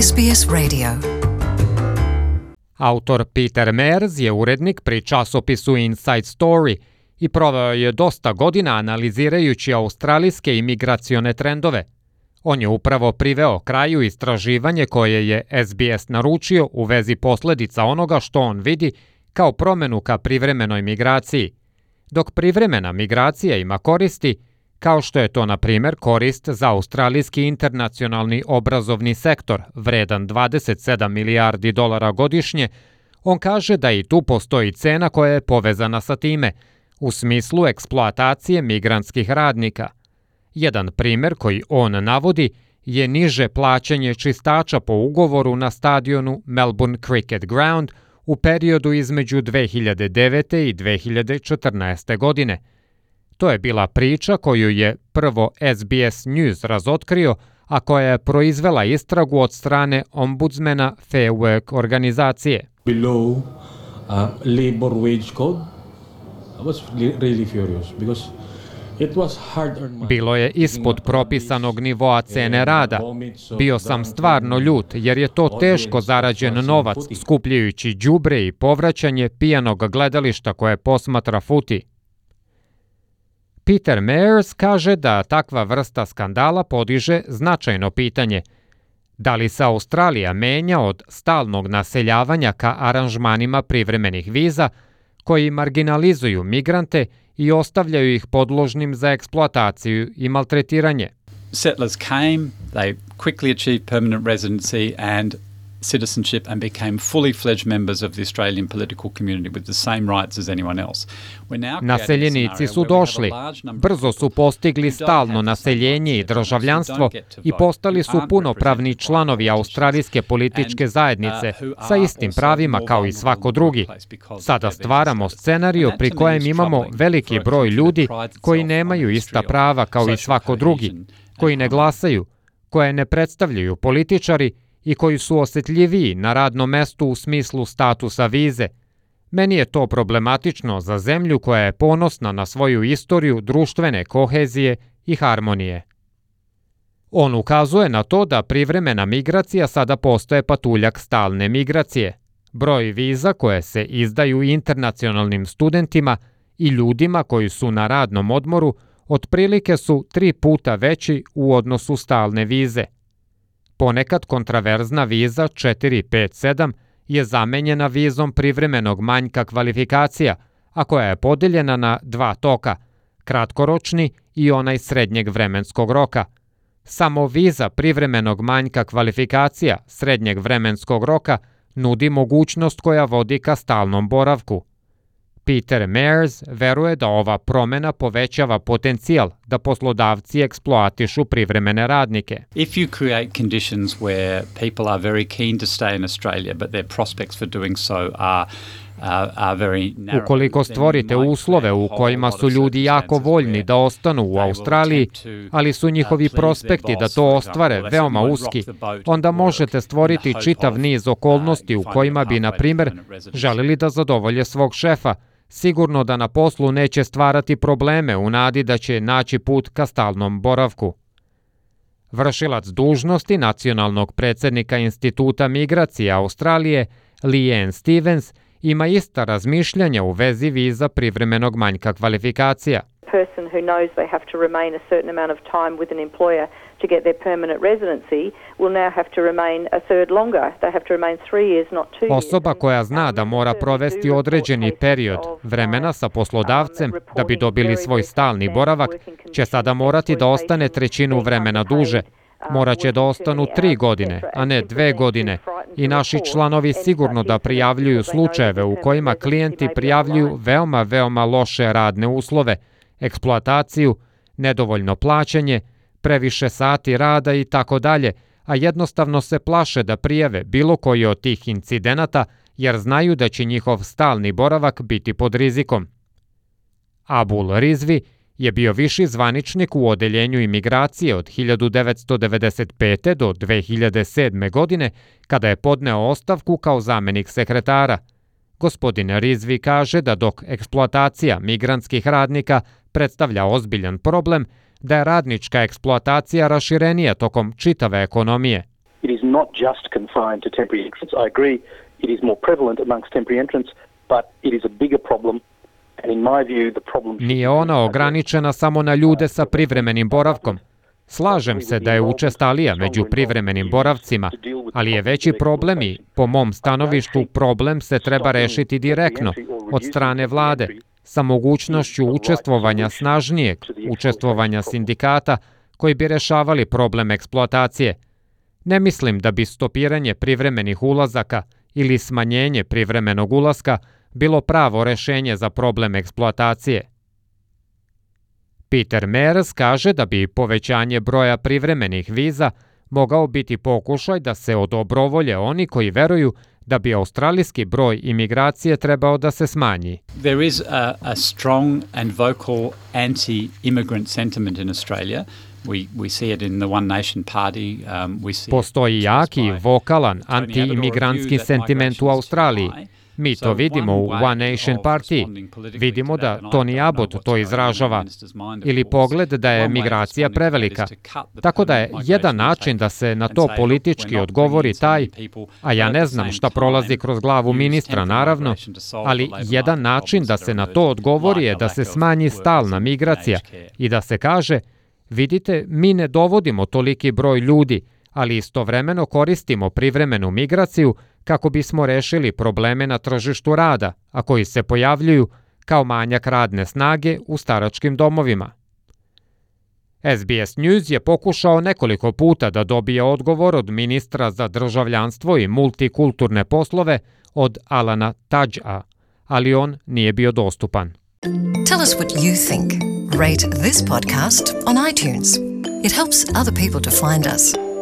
SBS Radio. Autor Peter Mears je urednik pri časopisu Inside Story i proveo je dosta godina analizirajući australijske imigracione trendove. On je upravo priveo kraju istraživanje koje je SBS naručio u vezi posljedica onoga što on vidi kao promjenu ka privremenoj migraciji. Dok privremena migracija ima koristi, kao što je to, na primjer, korist za australijski internacionalni obrazovni sektor, vredan $27 milijardi godišnje, on kaže da i tu postoji cena koja je povezana sa time, u smislu eksploatacije migrantskih radnika. Jedan primjer koji on navodi je niže plaćanje čistača po ugovoru na stadionu Melbourne Cricket Ground u periodu između 2009. i 2014. godine. To je bila priča koju je prvo SBS News razotkrio, a koja je proizvela istragu od strane ombudsmana Fair Work organizacije. Below labor wage code, I was really furious because it was hard earned. Bilo je ispod propisanog nivoa cene rada. Bio sam stvarno ljut jer je to teško zarađen novac, skupljajući đubre i povraćanje pijanog gledališta koje posmatra futi. Peter Mears kaže da takva vrsta skandala podiže značajno pitanje. Da li se Australija menja od stalnog naseljavanja ka aranžmanima privremenih viza koji marginalizuju migrante i ostavljaju ih podložnim za eksploataciju i maltretiranje? Settlers came, they quickly achieved permanent residency and citizenship and became fully fledged members of the Australian political community with the same rights as anyone else. Naseljenici su došli, brzo su postigli stalno naseljenje i državljanstvo i postali su punopravni članovi australijske političke zajednice sa istim pravima kao i svako drugi. Sada stvaramo scenariju pri kojem imamo veliki broj ljudi koji nemaju ista prava kao i svako drugi, koji ne glasaju, koje ne predstavljaju političari i koji su osjetljiviji na radnom mestu u smislu statusa vize. Meni je to problematično za zemlju koja je ponosna na svoju istoriju društvene kohezije i harmonije. On ukazuje na to da privremena migracija sada postaje patuljak stalne migracije. Broj viza koje se izdaju internacionalnim studentima i ljudima koji su na radnom odmoru otprilike su 3 puta veći u odnosu stalne vize. Ponekad kontraverzna viza 457 je zamenjena vizom privremenog manjka kvalifikacija, a koja je podeljena na 2 toka, kratkoročni i onaj srednjeg vremenskog roka. Samo viza privremenog manjka kvalifikacija srednjeg vremenskog roka nudi mogućnost koja vodi ka stalnom boravku. Peter Mears veruje da ova promjena povećava potencijal da poslodavci eksploatišu privremene radnike. If you create conditions where people are very keen to stay in Australia, but their prospects for doing so are very narrow. Ukoliko stvorite uslove u kojima su ljudi jako voljni da ostanu u Australiji, ali su njihovi prospekti da to ostvare veoma uski, onda možete stvoriti čitav niz okolnosti u kojima bi, na primjer, želili da zadovolje svog šefa, sigurno da na poslu neće stvarati probleme u nadi da će naći put ka stalnom boravku. Vršilac dužnosti nacionalnog predsjednika Instituta migracije Australije, Leanne Stevens, ima ista razmišljanja u vezi viza privremenog manjka kvalifikacija. Person who knows they have to remain a certain amount of time with an employer to get their permanent residency will now have to remain a third longer. They have to remain 3 years, not 2 years. Osoba koja zna da mora provesti određeni period vremena sa poslodavcem da bi dobili svoj stalni boravak, će sada morati da ostane trećinu vremena duže. Morat će da ostanu 3 godine, a ne 2 godine. I naši članovi sigurno da prijavljuju slučajeve u kojima klijenti prijavljuju veoma loše radne uslove, eksploataciju, nedovoljno plaćanje, previše sati rada i tako dalje, a jednostavno se plaše da prijave bilo koji od tih incidenata jer znaju da će njihov stalni boravak biti pod rizikom. Abul Rizvi je bio viši zvaničnik u odeljenju imigracije od 1995. do 2007. godine, kada je podneo ostavku kao zamjenik sekretara. Gospodin Rizvi kaže da dok eksploatacija migrantskih radnika predstavlja ozbiljan problem, da je radnička eksploatacija raširenija tokom čitave ekonomije. It is not just confined to temporary entrants. I agree it is more prevalent amongst temporary entrants, but it is a bigger problem. And in my view, the problem... Nije ona ograničena samo na ljude sa privremenim boravkom. Slažem se da je učestalija među privremenim boravcima, ali je veći problem i, po mom stanovištu, problem se treba rešiti direktno od strane vlade, sa mogućnošću učestvovanja snažnijeg, učestvovanja sindikata koji bi rešavali problem eksploatacije. Ne mislim da bi stopiranje privremenih ulazaka ili smanjenje privremenog ulaska bilo pravo rešenje za problem eksploatacije. Peter Mears kaže da bi povećanje broja privremenih viza mogao biti pokušaj da se odobrovolje oni koji veruju da bi australijski broj imigracije trebao da se smanji. There is a strong and vocal anti-immigrant sentiment in Australia. We see it in the One Nation Party. Postoji jaki, vokalan, anti-imigrantski sentiment u Australiji. Mi to vidimo u One Nation Party. Vidimo da Tony Abbott to izražava. Ili pogled da je migracija prevelika. Tako da je jedan način da se na to politički odgovori taj, a ja ne znam šta prolazi kroz glavu ministra, naravno, ali jedan način da se na to odgovori je da se smanji stalna migracija i da se kaže, vidite, mi ne dovodimo toliki broj ljudi, ali istovremeno koristimo privremenu migraciju kako bismo rešili probleme na tržištu rada, a koji se pojavljuju kao manjak radne snage u staračkim domovima. SBS News je pokušao nekoliko puta da dobije odgovor od ministra za državljanstvo i multikulturne poslove od Alana Tudgea, ali on nije bio dostupan. Tell us what you think. Rate this podcast on iTunes. It helps other people to find us.